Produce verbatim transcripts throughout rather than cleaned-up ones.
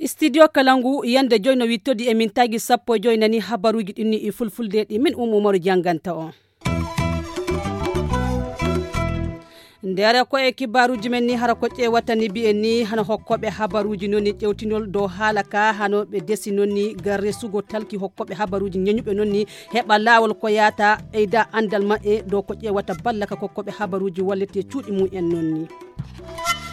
Studio Kalangu, yande joyi no wittodi e min tagi sappo e joyi nani habaruuji ɗin ni e fulfulde ɗi min Umu Umaru jannganta on. Ndere ko e kibaaruuji men ni hara ko ƴeewata ni mbi'en ni hano hokkooɓe habaruuji noon ni ƴewtinol dow haala ka hano ɓe desi noon ni gar resugo talki hokkooɓe habaruuji ñeñuɓe noon ni heɓa laawol ko yaata ɓeyda anndal maɓɓe dow ko ƴeewata balla ka kokkooɓe habaruuji wallete cuuɗi mum en noon ni.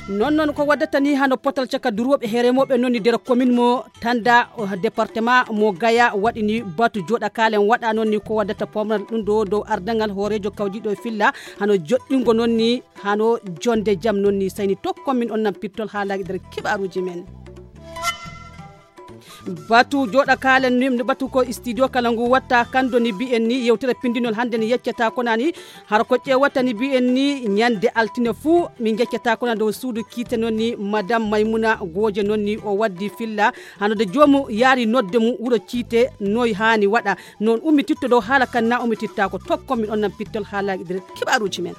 Noon noon ko waddata ni hano potal caka durooɓe he remooɓe noon ni nder commune mo tanda département mo gaya waɗi ni batu joɗa kalen waɗa noon ni ko waddata pomnal ɗum ɗo dow ardangal hoorejo kawjiɗo e filla hano joɗɗingo noon ni hano jonde jam noon ni sayni tokkon min on nan pittol haalaji nder kiɓaruji men. Batu joɗa kalen ni batu ko studio kala ngu watta kando ni mbi'en ni yewtere pindinol hannde ni yeccata ko nani hara ko ƴeewata ni mbi'en ni ñande altine fuu min ngeccata ko nani dow suudu kiite noon ni madame maymuna gooje noon ni o waddi filla hano de joomu yaari nodde mum wuro ciite noy haani waɗa noon ummititto dow haala kan na ummititta ko tokkon min on nan pittol haalaji nder kiɓaruji men.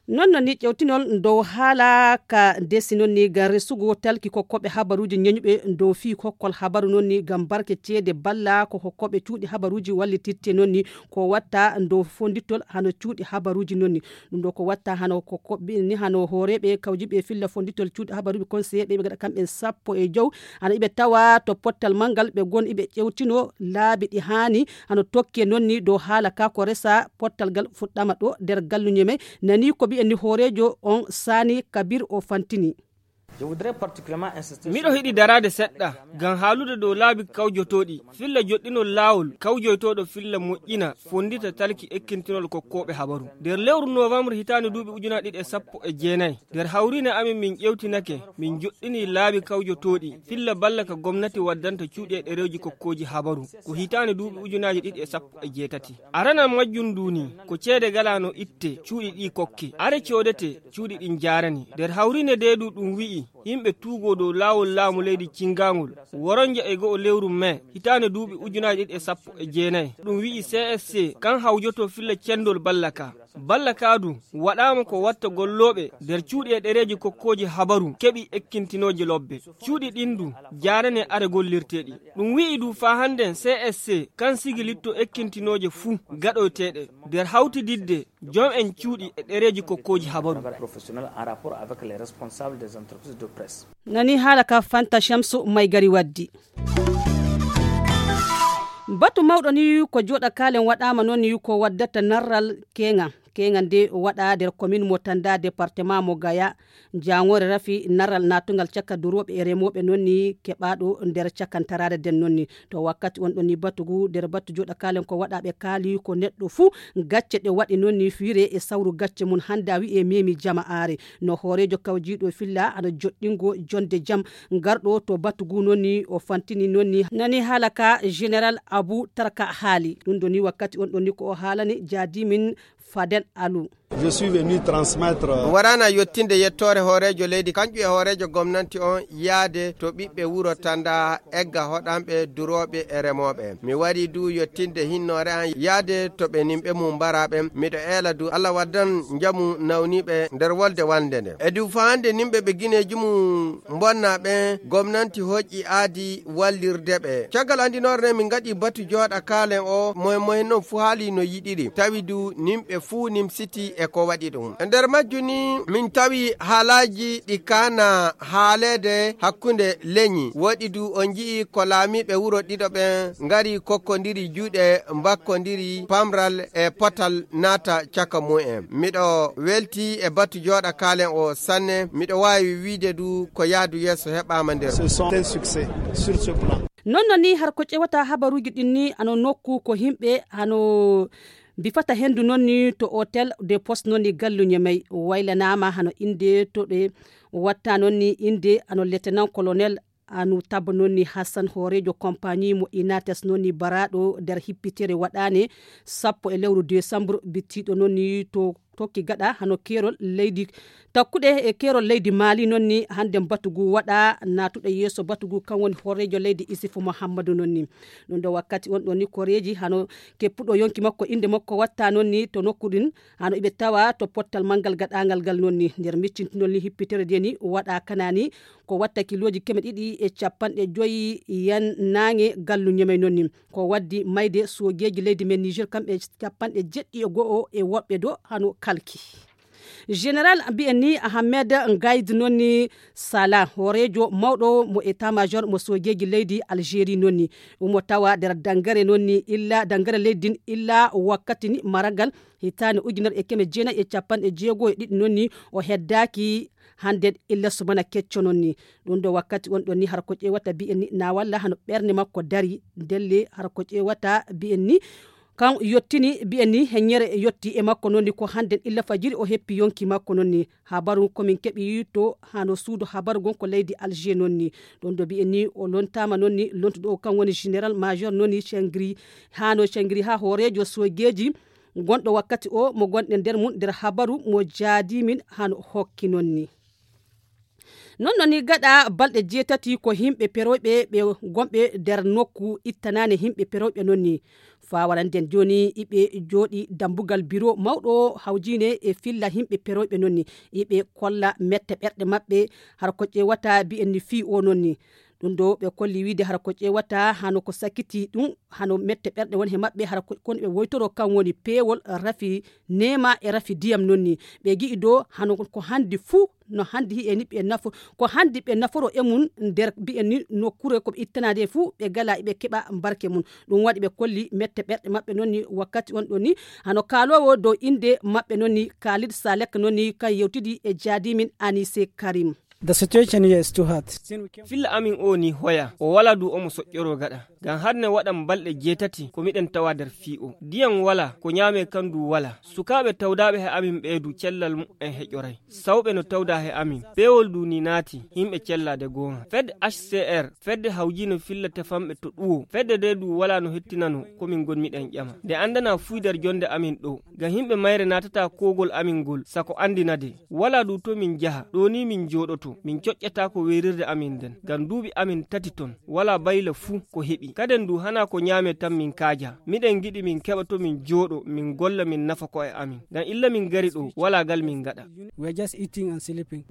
Noon no ni ƴewtinol dow haala ka desi noon ni ngam resugo talki kokkoɓe habaruuji ñeñuɓe dow fii kokkol habaru noon ni ngam barke ceede balla ko kokkoɓe cuuɗi habaruuji wallititte noon ni ko watta dow fondittol hano cuuɗi habaruuji noon ni ɗum ɗo ko watta hano kokkoɓe ni hano hooreɓe kawjiɓe filla fondittol cuuɗi habaruuji conseiller ɓe ɓe gaɗa kamɓen sappo e jow hano iɓe tawa to pottal manngal ɓe gon iɓe ƴewtino laabi ɗi haani hano tokke noon ni dow haala ka ko resa pottal ngal fuɗɗama ɗo nder galluñe men nani ko mbiyen ni hooreejo on sani kabir o fantini. Miɗo hiɗi daraade seɗɗa ngam haalude dow laabi kawjotooɗi filla joɗɗinol laawol kawjoytooɗo filla moƴƴina fonndita talki ekkintinol kokkooɓe habaru nder lewru novembre hitaande duuɓi ujunaaji ɗiɗi e sappo e jeenayi nder hawriine amin min ƴewtinake min joɗɗini laabi kawjotooɗi filla balla ka gomnati waddanta cuuɗi e ɗereeji kokkooji habaru ko hitaande duuɓi ujunaaji ɗiɗi e sappo e jeetati. Aranal majjum ndu ni ko ceede galaano itte cuuɗi ɗi kokke are coodete cuuɗi ɗin jaarani nder hawriine deedu ɗum wi'i yimɓe tuugoo dow laawol laamu leydi cinngangol woronja e go'o lewru mai hitaande duuɓi ujunaaji ɗiɗi e sappo e jeenayi ɗum wi'i csc kan hawjoto filla cendol balla ka balla ka du waɗaama ko watta gollooɓe nder cuuɗi e ɗereeji kokkooji habaru keɓi ekkintinooje lobbe cuuɗi ɗin du jaarane are gollirteeɗi ɗum wi'i du faa hannden csc kan sigilitto ekkintinooje fuu gaɗoyteeɗe nder hawtididde jom en cuuɗi e ɗereeji kokkooji habaru. Nani haala ka fanta shamsu may gari waddi batu mawɗo ni ko joɗa kalen waɗama noon ni ko waddata narral keŋa keŋa nde waɗa nder commune mo tanda département mo gaya jangore rafi narral natugal caka duroɓe e remoɓe noon ni keɓaɗo nder cakantaraade den noon ni to wakkati on ɗon ni batu ngu nder batu joɗa kalen ko waɗaɓe kaali ko neɗɗo fuu gacce ɗe waɗi noon ni fiire e sawru gacce mum hannde a wi'e memi jama'aare no hooreejo kawjiiɗo filla ana joɗɗingo jonde jam garɗo to batu ngu noon ni o fantini noon ni nani haala ka général abou tarka haali ɗum ɗo ni wakkati on ɗon ni ko o haalani jaadi min fadel alu. Je suis venu transmettre. Warana yottinde yettoore hooreejo leydi kanƴu e hooreejo gomnanti on yaade to ɓiɓɓe wuro tanda egga hoɗanɓe durooɓe e remooɓe mi wari du yottinde hinnoore an yaade to ɓe nimɓe mum mbaraɓe miɗo eela du allah waddan njamu nawniɓe nder wolde wande nde e du faande nimɓe ɓe gineeji mum mbonna ɓen gomnanti hoƴƴi aadi wallirde ɓe caggal andinoore nde min ngaɗi batu jooɗa kaalen o moyen moyen non fuu haali no yiɗiri tawi du nimɓe fuu nimsiti e ko waɗi ɗum e nder majju ni min tawi haalaaji ɗi kaana haaleede hakkunde leñi woɗi du on nji'i ko laamiiɓe wuro ɗiɗo ɓen ngari kokkondiri juuɗe mbakkondiri pamral e potal naata caka mumen miɗo welti e batu jooɗa kaalen o sanne miɗo waawi wiide du ko yaadu yeeso heɓaama nder non no ni har ko ƴewata habaruuji ɗin ni ano nokku ko himɓe hano mbifata hendu non ni to hôtel de poste non ni galluñe may waylanama hano inde to ɗe watta non ni inde ano lieutenant colonel anu tabba non ni hassan hoorejo compagnie mo inates non ni baraɗo nder hippitere waɗane sappo e lewru décembre bittiɗo non ni to tokki gaɗa hano keerol leydi takkuɗe e keerol leydi maali noon ni. Hannde batu ngu waɗa naatuɗo yeeso batu ngu kan woni hooreejo leydi isifu muhammadu noon ni. Ɗum ɗo wakkati on ɗon ni koreeji hano keppuɗo yonki makko innde makko watta noon ni to nokku ɗin hano iɓe tawa to pottal manngal gaɗangal ngal noon ni nder miccintinol ni hippitere de ni waɗa kanani ko watta kilooji keme ɗiɗi e capanɗe joyi yan naange gallu ñemey noon ni. Ko waddi mayde soogeeji leydi men niger kamɓe capanɗe jeɗɗi e go'o e woɓɓe do hano kalki. Général mbiyen ni ahamed ngayd noon ni sala hooreejo mawɗo mo état major mo soogeeji leydi algérie noon ni. Omo tawa nder dangare noon ni illa dangare leydi din illa wakkati ni maragal hitaande ujunere e keme jeenayi e capanɗe jeego e ɗiɗi noon ni o heddaaki. Hannde illa subana kecco noon ni. Ɗum ɗo wakkati on ɗon ni hara ko ƴeewata mbiyen ni na walla hano ɓernde makko dari ndelle hara ko ƴeewata mbiyen ni kan yottini mbiyen ni heññere yotti e makko noon ni ko hannde illa fajiri o heppi yonki makko noon ni. Habaru komin keɓi to hano suudu habaru gon ko leydi alger noon ni. Ɗum ɗo mbiyen ni o lontaama noon ni lontuɗo o kan woni général major noon ni cengri hano cengri ha hooreejo soogeeji gonɗo wakkati o mo gonɗen nder mum nder habaru mo jaadimin hano hokki noon ni. Noon noon ni gaɗa balɗe jeetati ko yimɓe perooyɓe ɓe gonɓe nder nokku ittanaane yimɓe perooyɓe noon ni. Faa waranden jooni iɓe jooɗi dambugal biro mawɗo hawjiine e filla yimɓe perooyɓe noon ni. Iɓe kolla mette ɓerɗe maɓɓe hara ko ƴeewata mbiyen ni fii o noon ni. Ɗum ɗo ɓe kolli wiide hara ko ƴeewata hano ko sakiti ɗum hano mette ɓerɗe woni he maɓɓe hara kono ɓe woytoro kan woni peewol rafi neema e rafi diyam noon ni. Ɓe gi'i do hano ko handi fuu no handi hi'e ni ɓe nafo ko handi ɓe naforo e mum nder mbiyen ni nokkure ko ɓe ittanaade fuu ɓe gala ɓe keɓa mbarke mum. Ɗum waɗi ɓe kolli mette ɓerɗe maɓɓe noon ni wakkati on ɗon ni hano kaaloowo dow innde maɓɓe noon ni kaalid salek noon ni kan yewtidi e jaadimin anise karim. The situation here is too hard. Filla amin o ni hoya o wala du omo soƴƴoro gaɗa. Ngam har ne waɗan balɗe jeetati ko miɗen tawa nder fii o ndiyam wala ko ñaame kan du wala. Sukaaɓe tawdaaɓe he amin ɓee du cellal mu'en heƴoray. Sawɓe no tawda he amin. Peewol du ni naati yimɓe cellaade goonga fedde h c r fedde hawjiino filla tefanɓe to ɗuwo fedde de du wala no hettinano ko min ngonmiɗen ƴama nde anndana fuydar jonnde amin ɗo. Ngam yimɓe mayre naatata koogol amin ngol sako anndinade. Wala du to min njaha ɗo ni min njooɗoto min coƴƴata ko weerirde amin nden ngam duuɓi amin tati ton. Wala bayla fuu ko heɓi kaden du hana ko ñaame tan min kaaja. Miɗen ngiɗi min keɓa to min njooɗo min golla min nafa ko'e amin. Ngam illa min ngari ɗo wala gal min ngaɗa. We are just eating and sleeping.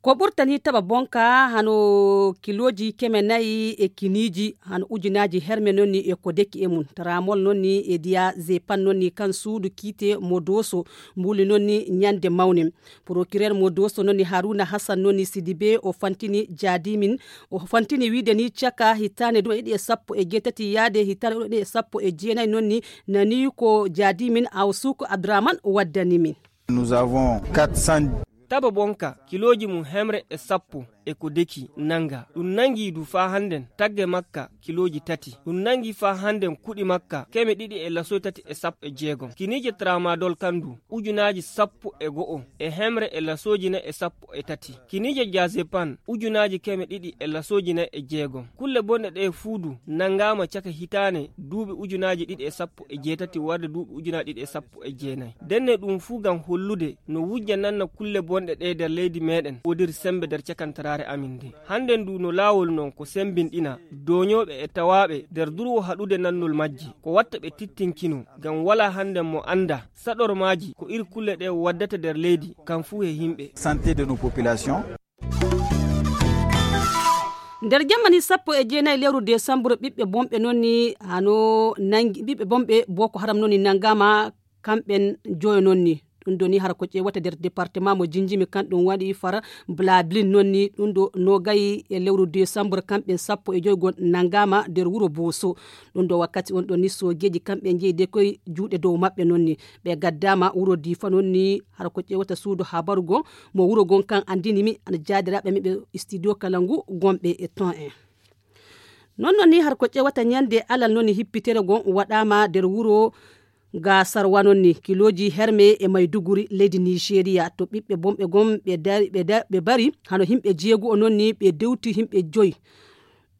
Ko ɓurtani taɓa bonka hano kilooji keme nayi e kiniiji hano ujunaaji herme noon ni e ko deki e mum tramol noon ni e diya zepan noon ni kan suudu kiite mo dooso. Mbuuli noon ni ñande mawne. Procureur mo dooso noon ni haruna hassan noon ni sidibe o fantini jaadimin o fantini wiide ni caka hitaande ɗum e ɗiɗi e sappo e jeetati yaade hitaande ɗum e ɗiɗi e sappo e jeenayi noon ni nani ko jaadimin awsuko abdourahman waddani min. Nous avons quatre cents. Taba bonka kilooji mum hemre e sappo e ko deki nanga ɗum nangi du faa hannden tagge makka kilooji tati. Ɗum nangi faa hannden kuɗi makka keme ɗiɗi e lasoy tati e sappo e jeegom kiniije tramadol kan du ujunaaji sappo e go'o e hemre e lasooji nayi e sappo e tati. Kiniije jazepan ujunaaji keme ɗiɗi e lasooji nayi e jeegom. Kulle bonɗe ɗe fuu du nangaama caka hitaane duuɓi ujunaaji ɗiɗi e sappo e jeetati warde duuɓi ujunaaji ɗiɗi e sappo e jeenayi. Ndenne ɗum fuu ngam hollude no wujja nanna kulle bonɗe ɗe nder leydi meeɗen woodiri semmbe nder cakantaraare amin nde. Hannden du no laawol non ko semmbinɗina dooñooɓe e tawaaɓe nder durwo haɗude nannol majji ko watta ɓe tittinkino ngam walaa hannden mo annda saɗormaaji ko iri kulle ɗe waddata nder leydi kam fuu he yimɓe. Santé de nos populations. Nder jammani sappo e jeenayi lewru desambur ɓiɓɓe bonɓe noon ni hano nangi ɓiɓɓe bonɓe boko haram noon ni nangama kamɓen joyo noon ni. Ɗum ɗo ni hara ko ƴeewata nder département mo jinjimi kan ɗum waɗi fara blablin noon ni ɗum ɗo nogayi e lewru desambur kamɓen sappo e joygo nangama nder wuro boso. Ɗum ɗo wakkati on ɗon ni soogeeji kamɓe njeyi de koye juuɗe dow maɓɓe noon ni. Ɓe gaddaama wuro diifa noon ni hara ko ƴeewata suudu habaru gon mo wuro gon kan anndini mi ana jaadiraaɓe meɓe studio kala ngu gonɓe e ton en. Noon noon ni hara ko ƴeewata ñande alal noon ni hippitere gon waɗaama nder wuro gasarwa noon ni kilooji herme e mayduguri leydi nigeria to ɓiɓɓe bonɓe gon ɓe dari ɓe da- ɓe bari hano yimɓe jeegu'o noon ni ɓe dewti yimɓe joyi.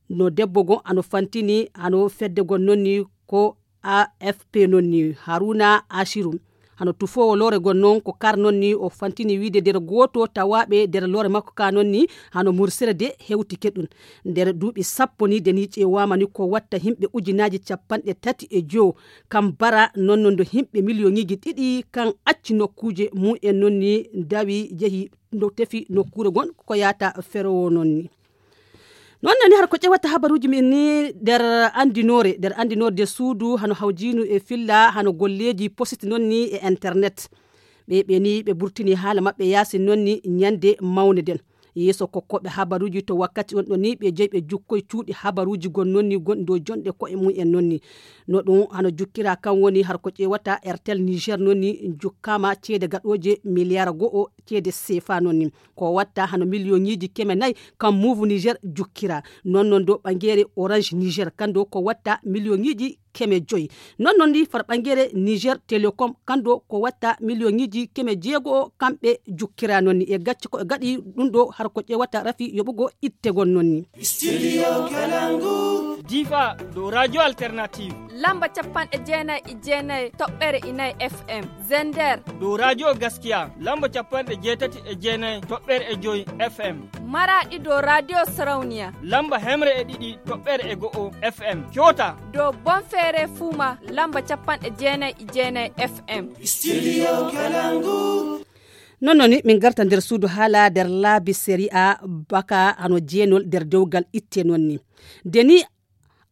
No debbo gon ano fantini ano fedde gon noon ni ko afp noon ni haruna ashiru. Hano tufoowo loore gon noon ko kar noon ni o fantini wiide nder gooto tawaaɓe nder loore makko ka noon ni hano mursere de hewtike ɗum. Nder duuɓi sappo ni de ni ƴeewaama ni ko watta himɓe ujunaaji capanɗe tati e jowo kam bara noon no ndo himɓe miliyoŋiiji ɗiɗi kan acci nokkuuje mum en noon ni dawi jehi no tefi nokkuure gon ko yaata ferowo noon ni. Noon nani har ko ƴewata habaruuji min ni nder anndinoore nder anndinoore de suudu hano hawjiinu e filla hano golleeji positi noon ni e internet. Ɓe ɓe ni ɓe burtini haala maɓɓe yaasi noon ni ñande mawne nden. Yeeso kokkoɓe habaruuji to wakkati on ɗo ni ɓe jeyi ɓe jukkoy cuuɗi habaruuji gon noon ni gonɗi dow jonɗe ko'e mum en noon ni. No ɗum hano jukkira kan woni har ko ƴewata Airtel Niger noon ni jukkaama ceede gaɗooje miliyar go'o ceede sefa noon ni. Ko watta hano miliyoŋiiji keme nayi kam Moov Niger jukkira. Noon noon dow ɓangeere Orange Niger kan dow ko watta miliyoŋiiji keme joyi. Noon noon ndi far ɓangeere Niger Telecom kan dow ko watta miliyoŋiiji keme jeego kamɓe jukkira noon ni. E gacce ko e gaɗi ɗum ɗo har ko ƴewata rafi yoɓugo ittegol noon ni. Difa dow Radio Alternative. Lamba capanɗe jeenayi e jeenayi toɓɓere inayi F M. Zender. Dow Radio Gaskiya lamba capanɗe jeetati e jeenayi toɓɓere e joyi F M. Maraɗi dow Radio Sarauniya. Lamba hemre e ɗiɗi toɓɓere e go'o F M. Kyota. Dow Bonfere Fuma lamba capanɗe jeenayi e jeenayi F M. Studio Kalangu. Noon noon ni min garta nder suudu haala nder laabi sariya baka hano jeenol nder dewgal itte noon ni. Nde ni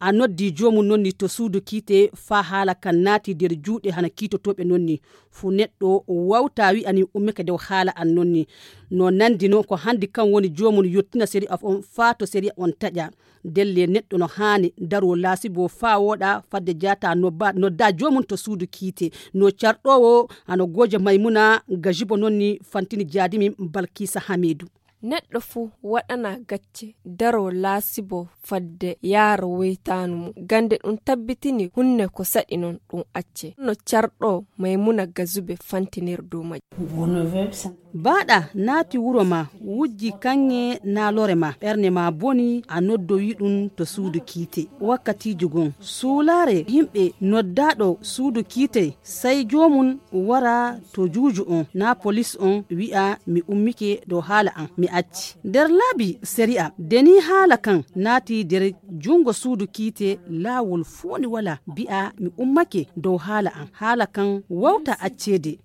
a noddi joomum noon ni to suudu kiite faa haala kan naati nder juuɗe hano kiitotooɓe noon ni. Fuu neɗɗo wawta wi'a ni ummike dow haala an noon ni. No nandi noon ko hanndi kan woni joomum yottina sariya on faa to sariya on taƴa. Ndelle neɗɗo no haani daroo laasibo faa wooɗa fadde jaata nodda joomum to suudu kiite. No carɗoowo hano goojo Maymuna Gajibo noon ni fantini jaadi min Balkiisa Hamiidu. Neɗɗo fuu waɗana gacce daroo laasibo fadde yaara woytaanu mum. Gannde ɗum tabbitini hunne ko saɗi noon ɗum acce no carɗo Maymuna Gazube fantinir dow majjum. Baaɗa naati wuro maa wujji kaŋŋe naa lore maa ɓernde maa boni a noddowi ɗum to suudu kiite. Wakkatiiji gom suulaare yimɓe noddaaɗo suudu kiite sey joomum wara to juuju on naa polis on wi'a mi ummike dow haala am mi acci. Nder laabi sari'a de nii haala kan naati nder junngo suudu kiite laawol fuu ni walaa bi'a mi ummake dow haala am haala kan wawta acceede.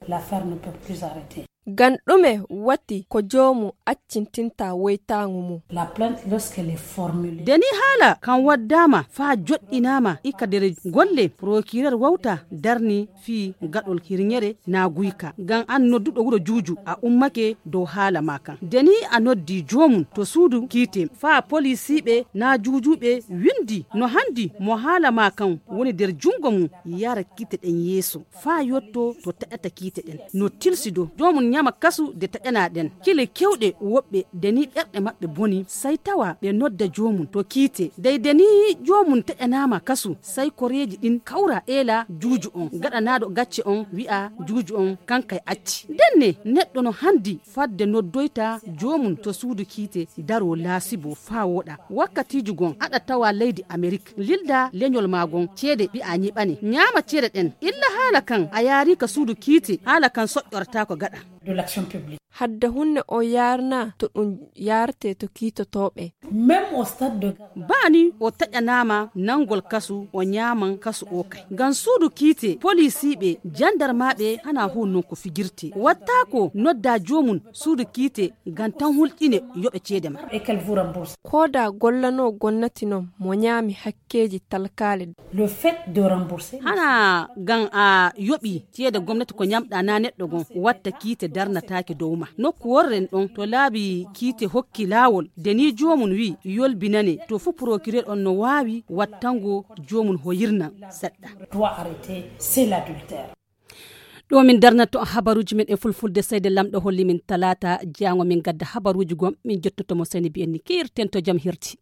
Ngam ɗume wati ko joomum accintinta woytaaŋgo mum? De nii haala kan waddaama faa joɗɗinaama ika nder golle prokirer wawta darni fii gaɗol hirŋere naa guyka ngam an nodduɗo wuro juuju a ummake dow haala maa kan de nii a noddi joomum to suudu kiite faa polisiiɓe naa juujuuɓe winndi no hanndi mo haala maa kan woni nder junngo mum yara kiite ɗen yeeso faa yotto to taƴata kiite ɗen no tilsi dow joomum ñama kasu de taƴanaa ɗen kile kewɗe woɓɓe de nii ɓerɗe maɓɓe boni sey tawa ɓe nodda joomum to kiite dey de nii joomum taƴanaama kasu sey koreeji ɗin kawra eela juuju on gaɗanaaɗo gacce on wi'a juuju on kankay acci ndenne neɗɗo no hanndi fadde noddoyta joomum to suudu kiite daroo laasibo faa wooɗa wakkatiiji gon aɗa tawa leydi amerik lilda leñol maa gon ceede mbi'a ñiɓane ñaama ceede ɗen illa haala kan a yaari ka suudu kiite haala kan soƴƴortaako gaɗa. Hadde hunne on yaarnaa to ɗum yaartee to kiitotooɓe. Baa ni o taƴanaama nanngol kasu o ñaaman kasu o kay ngam suudu kiite poliisiiɓe janndarmaaɓe hanaa huun non ko fijirtee wattaako noddaa joomum suudu kiite ngam tan hulƴine yoɓe ceede maa. Kooda gollanoo gonnati non mo ñaami hakkeeji talkaali. Hanaa ngam a yoɓii ceede gomnati ko ñamɗaa naa neɗɗo gom watta kiite darnataake dow maa nokku worren ɗon to laabi kiite hokki laawol de nii joomum wii yolbinane to fuu porokirer on no waawi wattango joomum hoyirnan seɗɗa. Ɗo min darnatto habaruuji men e fulfulde seyde lamɗo holli min talaata jaango min gadda habaruuji gom min jottoto mo seni mbiyen ni kiirten to jam hirti.